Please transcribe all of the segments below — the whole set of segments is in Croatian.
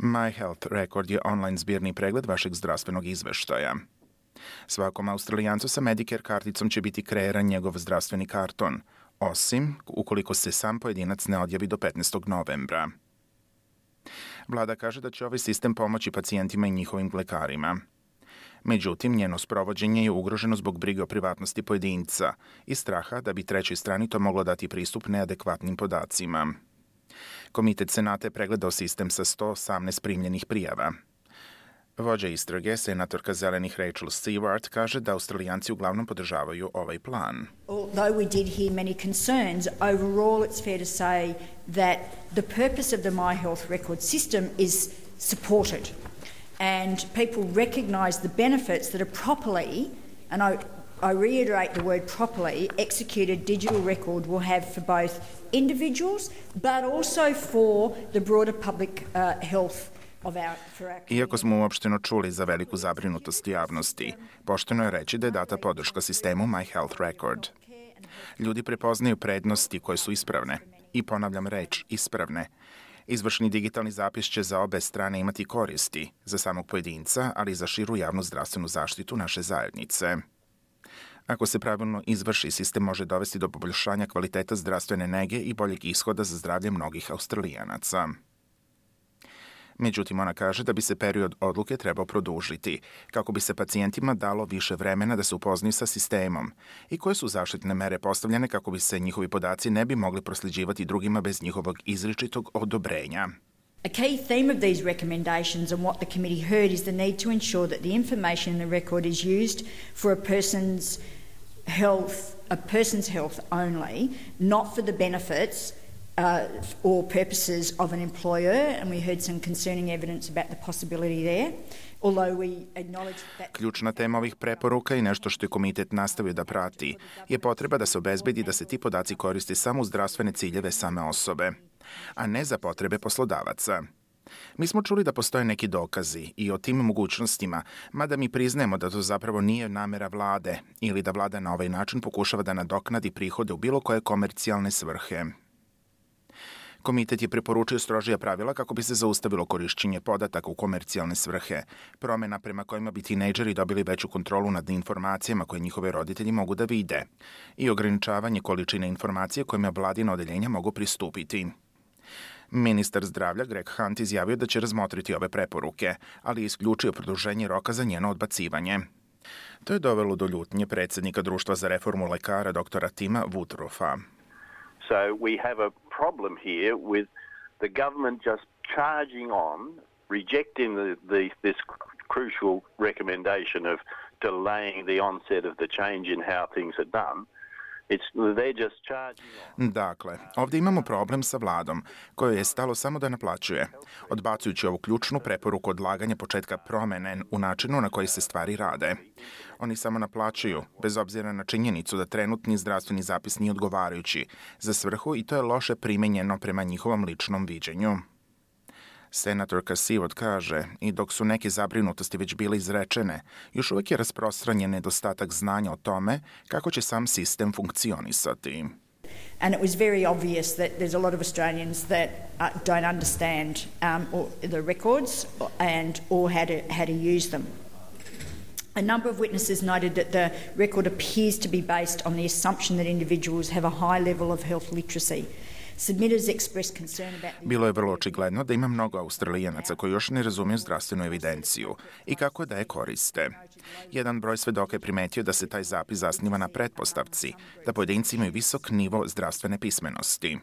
My Health Record je online zbirni pregled vašeg zdravstvenog izveštaja. Svakom Australijancu sa Medicare karticom će biti kreiran njegov zdravstveni karton, osim ukoliko se sam pojedinac ne odjavi do 15. novembra. Vlada kaže da će ovaj sistem pomoći pacijentima i njihovim lekarima. Međutim, njeno sprovođenje je ugroženo zbog brige o privatnosti pojedinca i straha da bi trećoj strani to moglo dati pristup neadekvatnim podacima. Komitet Senata je pregledao sistem sa 118 primljenih prijava. Vođa istrage, senatorka Zelenih Rachel Stewart, kaže da Australijanci uglavnom podržavaju ovaj plan. Although we did hear many concerns, overall it's fair to say that the purpose of the My Health Record system is supported and people recognise the benefits that are properly, and I reiterate the word properly, executed digital record will have for both individuals but also for the broader public health. Iako smo uopšteno čuli za veliku zabrinutost javnosti, pošteno je reći da je data podrška sistemu My Health Record. Ljudi prepoznaju prednosti koje su ispravne. I ponavljam reč, ispravne. Izvršni digitalni zapis će za obe strane imati koristi, za samog pojedinca, ali i za širu javnu zdravstvenu zaštitu naše zajednice. Ako se pravilno izvrši, sistem može dovesti do poboljšanja kvaliteta zdravstvene nege i boljeg ishoda za zdravlje mnogih Australijanaca. Međutim, ona kaže da bi se period odluke trebao produžiti, kako bi se pacijentima dalo više vremena da se upoznaju sa sistemom i koje su zaštitne mere postavljene kako bi se njihovi podaci ne bi mogli prosljeđivati drugima bez njihovog izričitog odobrenja. A key theme of these recommendations and what the committee heard is the need to ensure that the information in the record is used for a person's health only, not for the benefits or purposes of an employer, and we heard some concerning evidence about the possibility there. Ključna tema ovih preporuka i nešto što je komitet nastavio da prati je potreba da se obezbedi da se ti podaci koriste samo u zdravstvene ciljeve same osobe, a ne za potrebe poslodavaca. Mi smo čuli da postoje neki dokazi i o tim mogućnostima, mada mi priznajemo da to zapravo nije namera vlade ili da vlada na ovaj način pokušava da nadoknadi prihode u bilo koje komercijalne svrhe. Komitet je preporučio strožija pravila kako bi se zaustavilo korišćenje podataka u komercijalne svrhe, promena prema kojima bi tinejdžeri dobili veću kontrolu nad informacijama koje njihove roditelji mogu da vide i ograničavanje količine informacije kojima vladina odeljenja mogu pristupiti. Ministar zdravlja Greg Hunt izjavio da će razmotriti ove preporuke, ali je isključio produženje roka za njeno odbacivanje. To je dovelo do ljutnje predsjednika Društva za reformu lekara dr. Tima Woodroffa. So we have a problem here with the government just charging on, rejecting this crucial recommendation of delaying the onset of the change in how things are done. Dakle, ovdje imamo problem sa vladom, kojoj je stalo samo da naplaćuje, odbacujući ovu ključnu preporuku odlaganja početka promene u načinu na koji se stvari rade. Oni samo naplaćuju, bez obzira na činjenicu da trenutni zdravstveni zapis nije odgovarajući za svrhu i to je loše primenjeno prema njihovom ličnom viđenju. Senatorka Stewart kaže, i dok su neke zabrinutosti već bile izrečene, još uvijek je rasprostranjen nedostatak znanja o tome kako će sam sistem funkcionisati. And it was very obvious that there's a lot of Australians that don't understand the records or how to use them. A number of witnesses noted that the record appears to be based on the assumption that individuals have a high level of health literacy. Bilo je vrlo očigledno da ima mnogo Australijanaca koji još ne razumiju zdravstvenu evidenciju i kako da je koriste. Jedan broj svedoka je primetio da se taj zapis zasniva na pretpostavci, da pojedinci imaju visok nivo zdravstvene pismenosti.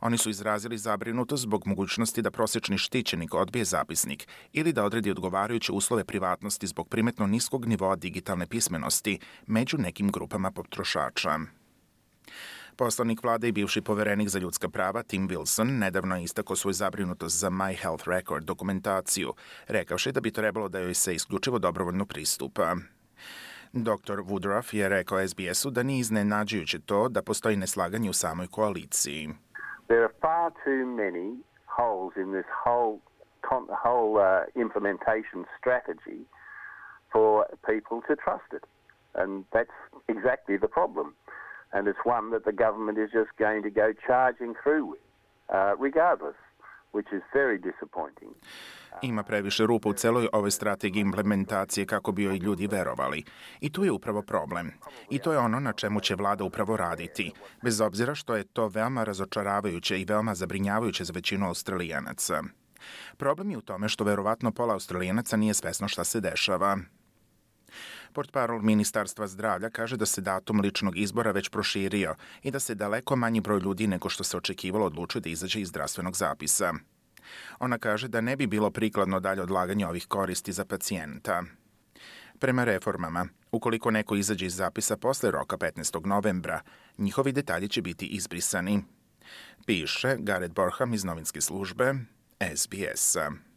Oni su izrazili zabrinutost zbog mogućnosti da prosječni štićenik odbije zapisnik ili da odredi odgovarajuće uslove privatnosti zbog primetno niskog nivoa digitalne pismenosti među nekim grupama potrošača. Poslanik vlade i bivši poverenik za ljudska prava Tim Wilson nedavno je istakao svoju zabrinutost za My Health Record dokumentaciju, rekavši da bi trebalo da joj se isključivo dobrovoljno pristupa. Dr. Woodruff je rekao SBS-u da nije iznenađujuće to da postoji neslaganje u samoj koaliciji. There are far too many holes in this whole implementation strategy for people to trust it. And that's exactly the problem. And it's one that the government is just going to go charging through with, regardless which is very disappointing. Ima previše rupa u celoj ovoj strategiji implementacije kako bi joj ljudi verovali. I tu je upravo problem. I to je ono na čemu će vlada upravo raditi, bez obzira što je to veoma razočaravajuće i veoma zabrinjavajuće za većinu Australijanaca. Problem je u tome što verovatno pola Australijanaca nije svesno šta se dešava. Portparol Ministarstva zdravlja kaže da se datum ličnog izbora već proširio i da se daleko manji broj ljudi nego što se očekivalo odlučuje da izađe iz zdravstvenog zapisa. Ona kaže da ne bi bilo prikladno dalje odlaganje ovih koristi za pacijenta. Prema reformama, ukoliko neko izađe iz zapisa posle roka 15. novembra, njihovi detalji će biti izbrisani. Piše Gareth Borham iz novinske službe SBS-a.